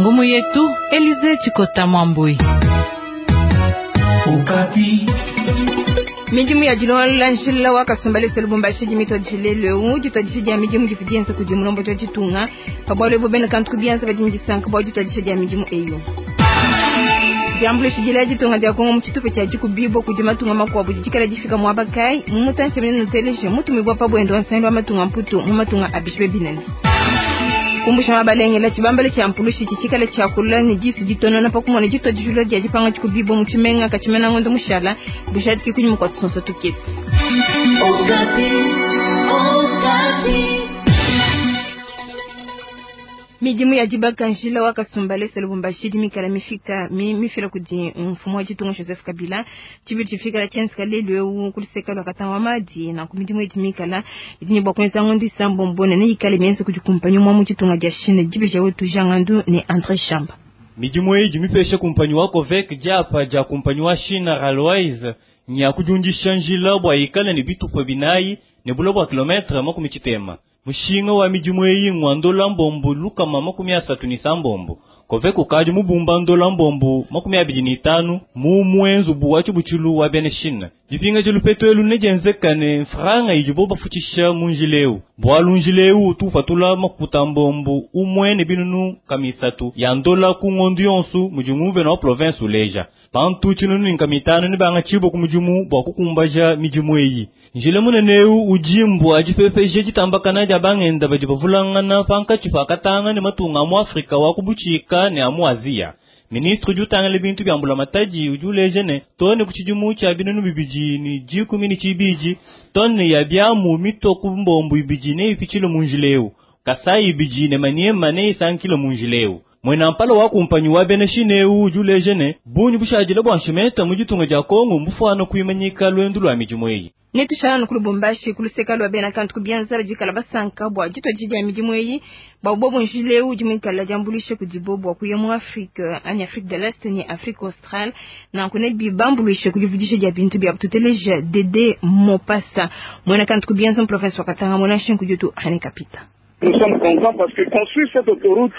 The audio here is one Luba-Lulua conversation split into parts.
Ngumu yetu Elize Chikota Mwambui. Midimu ya dilongolola njila wa Kasumbalesa Lubumbashi dimitwadishile leu ditwadisha dia midimu divu dienza kudi mulombodi wa ditunga pa bualu ebu bena kantu ku bianza badi ne disanka bua ditwadisha dia midimu eyi. Diambuluisha dila ditunga dia Kongo mu tshitupa tshia dikubibua kudi matunga makuabu didi difika muaba kayi mu mutantshi munene nuteleje mutumibua pa buende wa nsangilu wa matunga mputu mu matunga a bishibe binene. Kumbusha mabalengela tshibambalo tshia mpulushi tshitshikala tshiakula ne disu ditonona pa kumona ditua dijula dia dipanga dikubibua mu tshimenga katshimena ngondo mushala bujadiki kunyima kua tusonso tukese. Midimu ya dibaka njila wa Kasumbalesa Lubumbashi idi mikala mifika mi, mifila kudi mfumu wa ditunga Joseph Kabila tshibidi tshifikala tshienzeka lelu eu ku luseka lua Katanga wa Madi. Nanku midimu idi mikala idi ne bua kuenza ngondo isambombo ne neyikale mienza kudi kumpanyi umue mu ditunga dia Chine. Dibeja wetu Jean Ngandu ne Andre Shamba. Midimu eyi idi mipesha kumpanyi wa Covec diapa dia kumpanyi wa China Railways nya kudiundisha njila bua ikale ne bitupa binayi ne bule bua kilometre 60. Mushinga wa midimu eyi ngwa ndola mbombu 336. Covec ukadi mubumba ndola mbombu 25 mu mwenzubu wa tshibutshilu wa bena Chine. Dipinga lupeto elu nedienzekane mfranga idibo bafutshisha mu njila eu. Bualu njila eu utu upatula makuta mbombu umwe ne binunu kamisatu ya ndola ku ngondu yonsu mudi nguvena wa province uleja. Bantu tshinunu ne nkamitanu ne banga tshibo ku mudimu bua kukumbaja midimu eyi. Njila munene eu udi mbua difefeje ditambakana dia bangenda badi bavulangana pankatshi pa Katanga ne matunga a mu Afrika wa ku butshika ne a mu Aziya. Ministre udi utangila bintu bia mbulamatadi udi uleja ne tone ku tshidimu tshia 2012 tone ya biamu mitwa ku mbombu ibidi neipitshile mu njila eu. Kasai ibidi ne Maniema neisankile mu njila eu. Mwena mpala wa kumpanyi wa bena Chine eu udi uleja ne bungi bushadile bua nshimeta mu ditunga dia Kongo mbufuana kuimanyika lwendu lua midimu eyi. Netushala ku Lubumbashi ku luseka lua bena kantu ku bianza badi bikala basanka bua ditua dia midimu eyi bua bobo njila eu udi muikala diambuluisha kudibo bua kuya mu Afrique anyi Afrique de l'Est ne Afrique australe nanku ne bibambuluisha ku divudisha dia bintu bia tuteleja Dede Mopasa muena kantu ku bianza mu province wa Katanga muena nshingu dietu René Kapita. Nous sommes contents parce que construire cette autoroute,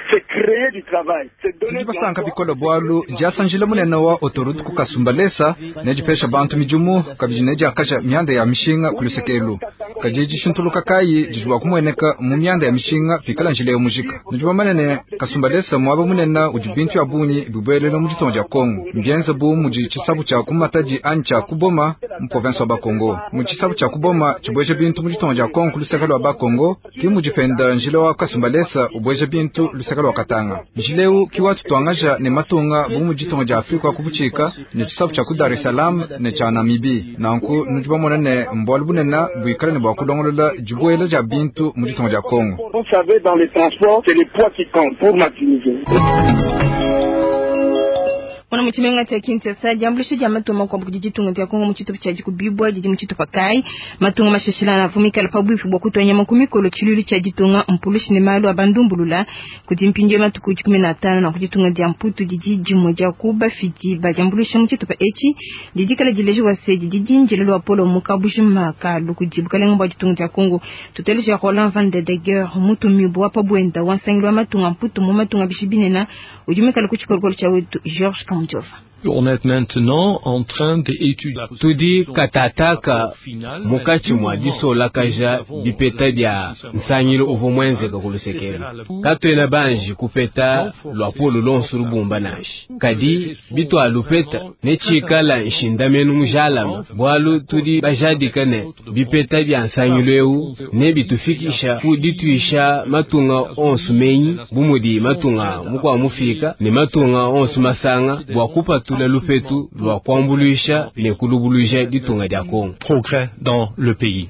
c'est créer du travail. C'est donner Tudi basanka bikole bualu diasa njila munene wa autoroute ku Kasumbalesa nedipesha bantu midimu kabidi nediakaja mianda ya mishinga ku lusekelu. Kadi dishintuluka kayi didi bua kumueneka mu mianda ya mishinga pikala njila eu mujika. Nudi bamanye ne Kasumbalesa muaba munene udi bintu bia bungi bibuelela mu ditunga dia Kongo. Mbienze bu mudi tshisabu tshia ku Matadi anyi tshia ku Boma mu province wa Bakongo. Mu tshisabu tshia ku Boma tshibueja bintu mu ditunga dia Kongo ku luseke lua Bakongo ki mudi penda njila wa Kasumbalesa ubueja bintu luseke lua Katanga. Njila eu ki watutuangaja ne matunga bu mu ditunga dia Afrika wa ku butshika ne tshisabu tshia ku Dar es Salaam ne tshia Namibie. Nanku nudi bamona ne mbualu bunene buikale ne bua kulongolola dibuela dia bintu mu ditunga dia Kongo. Vous savez, dans les transports, c'est le poids qui compte pour maximiser. Mwana mu tshimenga tshia Kinshasa diambuluisha dia matunga makuabu kudi ditunga dia Kongo mu tshitupa tshia dikubibua didi mu tshitupa kayi matunga mashashilana avua mikale pabuipi bua kutua nyama ku mikolo tshiluilu tshia ditunga mpulushi ne malu a bandumbulula kudi mpindieu matuku 15 na ku ditunga dia Mputu didi dimue dia ku bafidi ba diambuluisha mu tshitupa etshi didi kala dilejiwa se didi dindile lua polo mu kabujima kalu kudi bukalenga bua ditunga dia Kongo. Tuteleja Roland van de Deger mutumibua pa buenda wa nsangilu wa matunga Mputu mu matunga bishi binene udi mikale ku tshikolokolo tshia wetu Georges Kamujova. On est maintenant en train d'étudier. Tudi katataka munkatshi mua disolakaja bipeta bia nsangilu uvua muenzeka ku lusekelu. Katuena banji kupeta luapolo luonso lubumba nansha. Kadi bitualupeta netshikala nshindamenu mujalama bualu tudi bajadika ne bipeta bia nsangilu eu nebitufikisha ku dituisha matunga onso menyi bu mudi matunga mukua mufika ne matunga onso masanga bua kupatula lupetu lua kuambuluisha ne kulubuluja ditunga dia Kongo. Progrès dans le pays.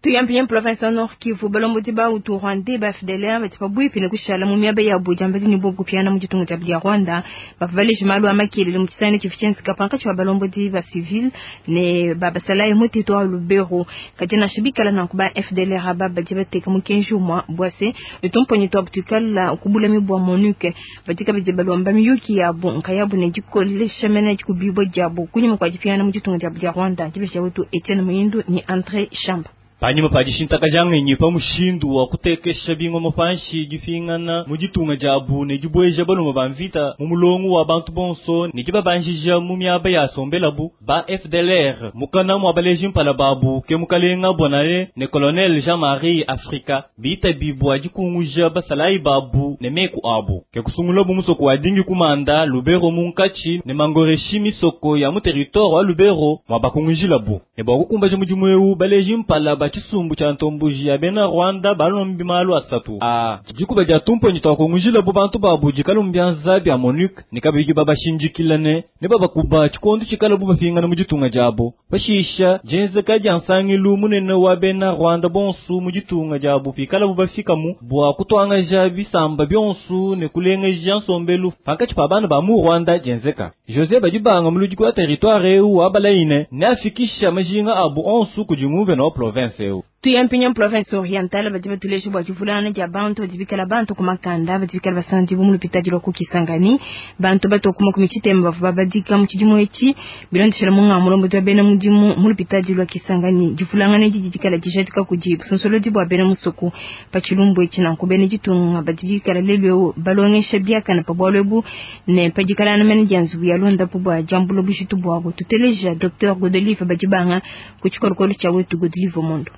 Tuyambiye province ya Nord Kivu balombodi ba Hutu Rwanda ba FDLR badi pabuipi ne kushala mu miaba ya Buja mbadi ne bobu kupiana mu ditunga dia dia Rwanda bavaleje malu a makelele mu tshisani tshifu tshienzeka pankatshi wa balombodi ba civil ne ba basalayi mu territoire Lubero. Kadi nansha bikala nanku ba FDLR aba badi bateka mukenji umue bua se tumponyi tuabu tuikala kubulami bua MONUC badi kabidi balomba miyuki yabu nkayabu ne dikolesha mene dikubibua diabu kunyima kua dipiana mu ditunga dia dia Rwanda. Dibeja wetu Etienne Muindu ne André Shamba. Panyima pa dishintakaja ngenyi pa mushindu wa kutekesha bingoma panshi, dipingana mu ditunga diabu ne dibueja balume ba mvita mu mulongo wa bantu bonso ne dibabanjija mu miaba ya sombelabu, ba FDLR mukana mua baleji mpala babu ke mukalenga Bonane ne colonel Jean-Marie Afrika bitabi bua dikunguja basalayi babu ne meku abu. Ke kusungulabu musoko wa Dingi kumanda Lubero munkatshi ne Mangoreshi misoko ya mu territoire wa Lubero mua bakungujilabu. Ne bua kukumbaja mudimu eu, baleji mpala ba tshisumbu tshia ntomboji ya bena Rwanda balombi malu asatu a dikuba dia tumponyi twakungujilabu bantu babu dikala mu bianza bia MONUC ne kabidi babashindikila ne babakuba tshikondo tshikalabu bapingana mu ditunga diabo. Pashisha dienzeka dia nsangilu munene wa bena Rwanda bonso mu ditunga diabo pikalabu bafikamu bua kutuangaja bisamba bionso ne kulengeja nsombelu pankatshi pa bana ba mu Rwanda dienzeka. José Badibanga muludiki wa territoire eu wa Balaine ne afikisha majinga abu onso kudi nguvena wa province eu. Tuyampinya province orientale badi batuleje bua divulana dia bantu badi bikala bantu ku makanda badi bikala basandi mu lupitadi lwa ku Kisangani bantu batokuma ku michitemba bavua babadika mu tshidimu etshi bilondeshela mu ngamulombo wa bena mudimu mu lupitadi lwa Kisangani divulangana didi dikala dijadika kudi busonsolodi bua bena musuku pa tshilumbu etshi nanku bena ditunga badi bikala lelu balongesha biakana pa bualu ebu ne padikalana mene dia nzubu ya londapu bua diambula bujitu buabu. Tuteleja Dr Godelive Badibanga ku tshikolokolo tshia wetu Godelive Mondo.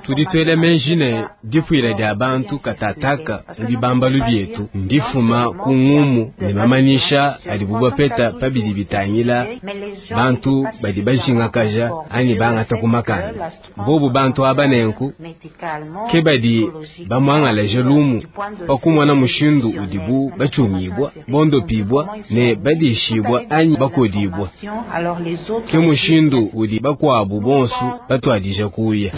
Tuditwele menjine difuila dia bantu katataka mubibambalu bietu ndifuma ku ngumu ne mamanyisha adi bubapeta pabidi bitangila bantu badi bajingakaja anyi bangata ku makanda bobu bantu aba nenku ke badi bamwangalaje lumu pakumona mushindu udibu bachungibwa bondopibwa ne badishibwa anyi bakodibwa ke mushindu udi bakwabu bonso batwadija kuya.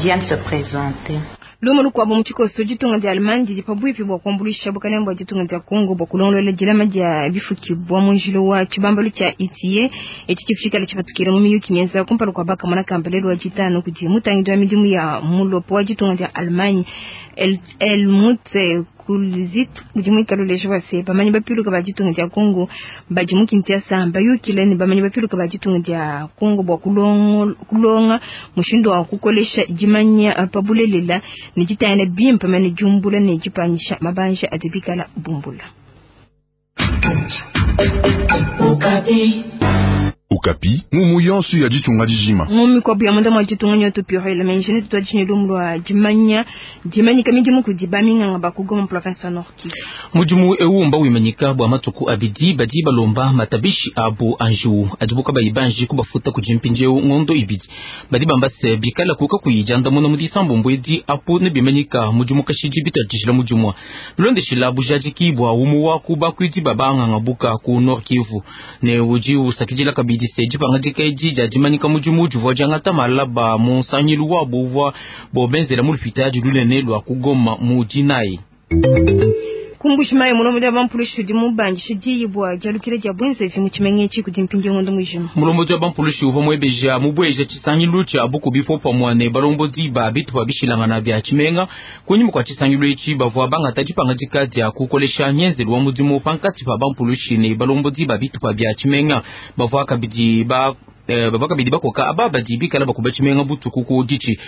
Lumu lukwabo mu tshikoso ditunga dia Allemagne didi pabuipi bua kuambuluisha bukalenge bua ditunga dia Congo bua kulongolola dilama dia bifukibwa mu njila wa tshibambalu tshia ITIE etshi tshifikala tshipatukila mu miyuki mienza kumpala kua bakamona kambelelo wa ditanu kudi mutangidi wa midimu ya mulopo wa ditunga dia Allemagne Helmut Kulzit udi muikale uleja bua se bamanyi bapiluka ba ditunga dia Congo badi mu Kinshasa bayukile ne bamanyi bapiluka ba ditunga dia Congo bua kulonga mushindu wa kukolesha dimanya pa bulelela ne ditayana bimpe mene diumbula ne dipanyisha mabanja adi bikala bumbula. Okapi ngumu yonso ya ditunga dijima ngumi kwa buya munda mwa ditunga nyoto pure la menjene tutwa dishine lumulwa dimanya dimanyika midimu kudi baminganga bakugoma province ya Nord Kivu mudimu ewu mba wimanyika bua matuku abidi badi balomba matabishi abu anju adibuka bayibanji kubafuta kujimpinjeu ngondo ibidi badi bamba se bikala kuka kuyijanda muna mu disambo edi apu ne bimanyika mudimu kashidi bitadishila mudimu bilondeshila bujadiki bua umu wa kubakwidi babanganga buka ku Nord Kivu ne udi usakidila kabidi se dipangadika edi dia dimanyika mudimu divua diangata malaba mu nsangilu wabo uvua bobenzela mu lupitadi lunene lwa kugoma mu dinayi. Kumbushima mulombo dia bampulushi udi mubandisha diyi bua dialukila dia bwenzevi mu tshimenga etshi kudi mpindieu ngondo mujima. Mulombo dia bampulushi uvua muebeja mubweja tshisangilu tshia bukubi popamua ne balombodi ba bitupa bishilangana bia tshimenga kunyima kua tshisangilu etshi bavua bangata dipangadika dia kukolesha ngenzelu wa mudimu pankatshi pa bampulushi ne balombodi ba bitupa bia tshimenga bavua kabidi ba kabidi bakoka aba badi bikala bakuba tshimenga butuku ku ditshi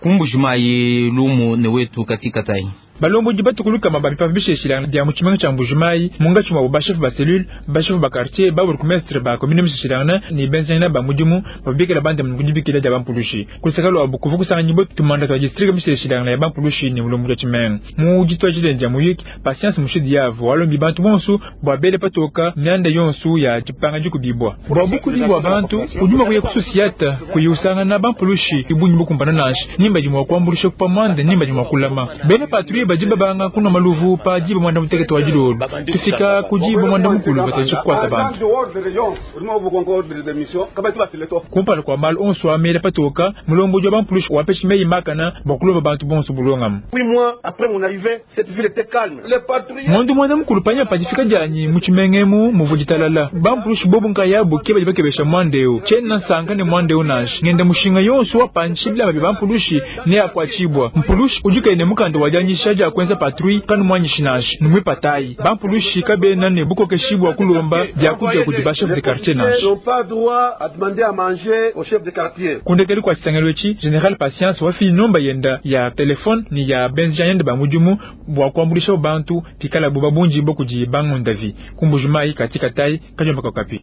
kumbujimayi lumu ne wetu katikatayi. Balombodi batukuluka mababi pabisheshila dia mu tshimenga tshia Mbujimayi mungatshi mwa bashefu ba cellule bashefu ba quartier ba bourgmestre ba commune mishishilana ne benzena ba mudimu babikela bande mu kudibikila dia bampulushi kusakalo abukuvu kusanga bo tumanda twa district mishishilana ya bampulushi ne mulombo ya tshimenga mu ditwa jilenja muyiki patience mushidi yavo walombi bantu bonso bwa bele patoka myanda yonso ya dipanga dikubibwa bwa bukuli bwa bantu unyuma kuya kususiata kuyusanga na bampulushi ibunyi bukumbana nashi nimba jimwa kwambulisha kupamanda nimba jimwa kulama bene patrouille bajiba banga kuna maluvu pa jiba mwanda muteketo wa jilolo tufika kujiba mwanda mukulu bataji kukwata bantu kumpala kwa malu onso amele patoka mulombo jwa bampulushi wapeshi meyi makana bakulomba bantu bonso bulongam ngondo mwanda mukulu panya pajifika janyi muchimengemu muvujitalala bampulushi bobu nkayabu ke baji bakebesha mwandeo chena nsanga ne mwandeo nashi ngenda mushinga yonso wa panshi bila babi bampulushi ne akwachibwa mpulushi ujukaine mukanda wajanyisha bia kuenza patrouille kanumwanyishi nansha numwipatayi bampulushi kabena ne bukokeshi bwa kulomba byakudia kudi ba chef de quartier nansha. Kundekeli kwa tshisangelo etshi General Patience wafili nomba yenda ya telefone ni ya benzi yenda ba mudimu bwa kuambulisha bantu pikala bo babunji bo kudi bangundavi kumbujumai katika tai kajomba Okapi.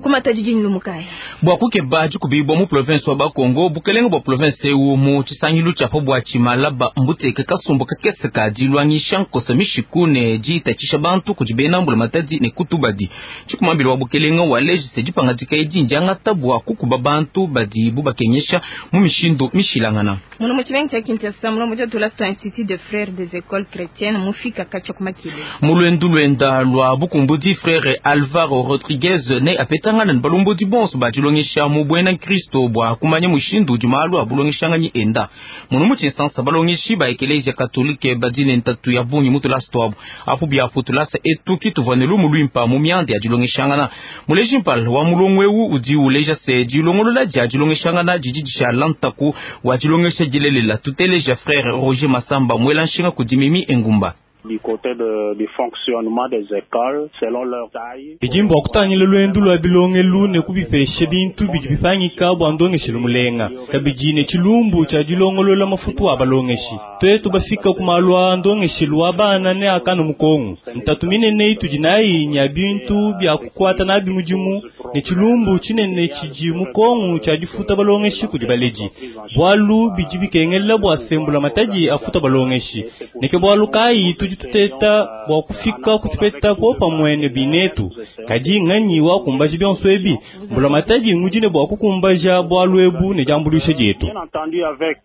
Kumata jijini Lumukai. Bwa kukeba dikubibwa mu province wa Bakongo bukelenge bwa province ewu mu tshisangilu tshia bwa tshimalaba mbuteke kasumbu kakese ka dilwangisha nkosa mishiku ne ditatshisha bantu kudi bena mbula matadi ne kutubadi. Tshikumambila wa bukelenge wa lejise dipangadika edi ndiangata bwa kukuba bantu badi bubakenyesha mu mishindu mishilangana. Muno mu tshimenga tshia Kinshasa mulombo tshia tulasa Institut de Frères des Écoles Chrétiennes mufika katshia kumakile. Mulwendu lwenda lwa bukumbudi frère Alvaro Rodriguez ne apetangana ne balombodi bonso badilongesha mu bwena Kristo bwa kumanya mushindu udi malu a bulongeshanganyi enda. Muno mu tshinsansa balongeshi ba ekelezia katolike badi ne ntatu ya bungi mu tulasa tuabu. Apu biapu tulasa etu kituvua ne lumu luimpa mu mianda ya dilongeshangana. Muleji mpala wa mulongo ewu udi uleja se dilongolola dia dilongeshangana didi dishala ntaku wa dilongesha dilelela. Tuteleja frère Roger Masamba mwela nshinga kudi Mimi Engumba. Du côté du fonctionnement des écoles selon leur taille. Bijimbo kutangila lwendu lwa bilongelu ne kubipesha bintu bidi bipangika bwa ndongeshelo mulenga kabidi ne tshilumbu tshia dilongolola mafutu a balongeshi twetu bafika kumalwa ndongeshelo wa bana ne akana mukongo ntatu minene itudi nayi nya bintu bya kukwata nabi mudimu ne tshilumbu tshinene tshidi mukongo tshia difuta balongeshi kudi baledi bwalu bidi bikengela bwa sembula matadi afuta balongeshi neke bwalu kayi tudi tuteta bwa kufika kutupeta po pamwene binetu kadi nganyi wa kumbaja bionso ebi mbula matadi ngudine bwa kukumbaja bwalu ebu ne jambulisha dietu. Bien entendu avec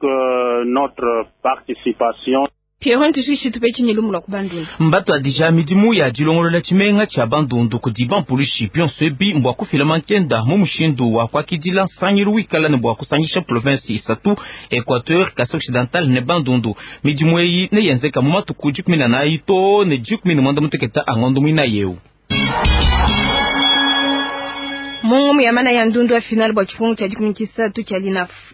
notre participation. Pierre ntushi tupe lumu lwa kubandundu. Mbato adija midimu ya dilongolola tshimenga tshia bandundu kudi bampulushi bionso ebi mbwa kufila mankenda mu mushindu wa kuakidila nsangilu wikala ne bwa kusangisha province isatu Equateur, Kasai Occidental ne bandundu. Midimu eyi neyenzeka mu matuku 14 to ne 18 a ngondo mwina yeu. Mungu ya mana ya ndundu ya final bwa chifungu cha 13 cha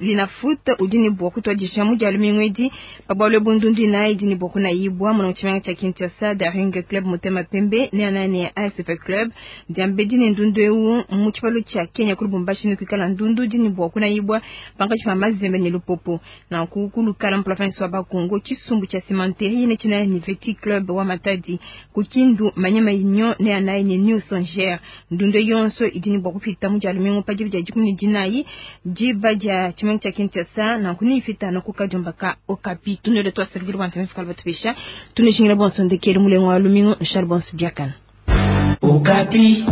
linafuta udini bwa kutwadisha muja lumingwedi pabwalwe bundundu na idini bwa kuna ibwa mwana chimanga cha Kinshasa Daring Club Mutema Pembe ne anane ya ASF Club diambedi ne ndundu eu mu chipalo cha Kenya kuli Lubumbashi ne kwikala ndundu dini bwa kuna ibwa panga chima mazembe ne lupopo na kukulu kala province wa Bakongo chisumbu cha Simanteri ne china ni Veti Club wa Matadi kukindu Manyema Union ne anaye ne New Songer ndundu yonso idini bwa kupita muja lumingo pa jibu ja 19 jiba ja chimenga cha Kinshasa na kunifita na kukajomba ka Okapi tunele twasakidira bantu mfikala batubisha tunishingira bonso ndekere mulengo wa lumingo nshal bonso biakana Okapi.